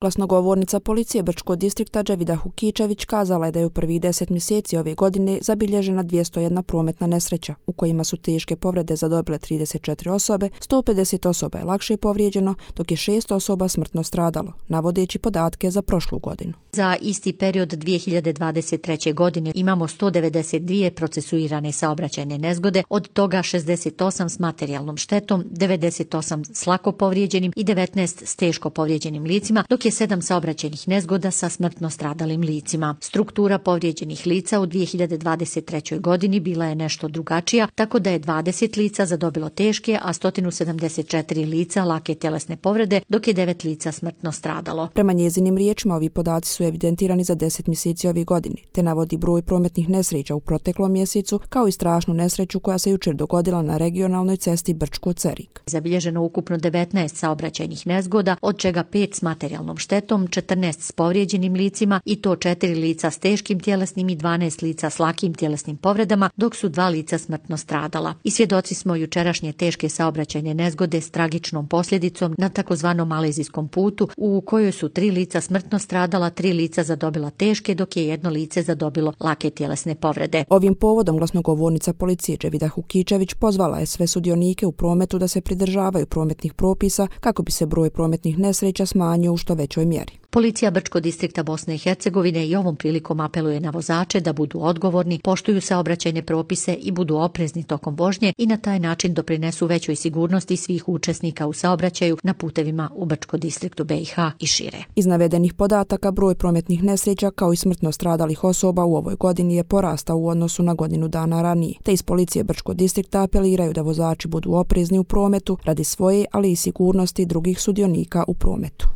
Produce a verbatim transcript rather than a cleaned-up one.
Glasnogovornica policije Brčkog distrikta Dževida Hukičević kazala je da je u prvih deset mjeseci ove godine zabilježena dvjesto jedna prometna nesreća, u kojima su teške povrede zadobile trideset četiri osobe, sto pedeset osoba je lakše povrijeđeno, dok je šest osoba smrtno stradalo, navodeći podatke za prošlu godinu. Za isti period dvije hiljade dvadeset treće. godine imamo sto devedeset dvije procesuirane saobraćajne nezgode, od toga šezdeset osam s materijalnom štetom, devedeset osam s lako povrijeđenim i devetnaest s teško povrijeđenim licima, dok je sedam saobraćajnih nezgoda sa smrtno stradalim licima. Struktura povrijeđenih lica u dvije hiljade dvadeset trećoj. godini bila je nešto drugačija, tako da je dvadeset lica zadobilo teške, a sto sedamdeset četiri lica lake tjelesne povrede, dok je devet lica smrtno stradalo. Prema njezinim riječima, ovi podaci su evidentirani za deset mjeseci ove godine, te navodi broj prometnih nesreća u proteklom mjesecu, kao i strašnu nesreću koja se jučer dogodila na regionalnoj cesti Brčko-Cerik. Zabilježeno ukupno devetnaest saobraćajnih nezgoda, od čega pet s materijalnom štetom, četrnaest s povrijeđenim licima i to četiri lica s teškim tjelesnim i dvanaest lica s lakim tjelesnim povredama, dok su dva lica smrtno stradala. I svjedoci smo jučerašnje teške saobraćajne nezgode s tragičnom posljedicom na takozvanom malezijskom putu, u kojoj su tri lica smrtno stradala, tri lica zadobila teške, dok je jedno lice zadobilo lake tjelesne povrede. Ovim povodom glasnogovornica policije Dževida Hukičević pozvala je sve sudionike u prometu da se pridržavaju prometnih propisa kako bi se broj prometnih nesreća smanjio u što većoj mjeri. Policija Brčkog distrikta Bosne i Hercegovine i ovom prilikom apeluje na vozače da budu odgovorni, poštuju saobraćajne propise i budu oprezni tokom vožnje i na taj način doprinesu većoj sigurnosti svih učesnika u saobraćaju na putevima u Brčkom distriktu B i H i šire. Iz navedenih podataka broj prometnih nesreća kao i smrtno stradalih osoba u ovoj godini je porastao u odnosu na godinu dana ranije, te iz policije Brčkog distrikta apeliraju da vozači budu oprezni u prometu radi svoje, ali i sigurnosti drugih sudionika u prometu.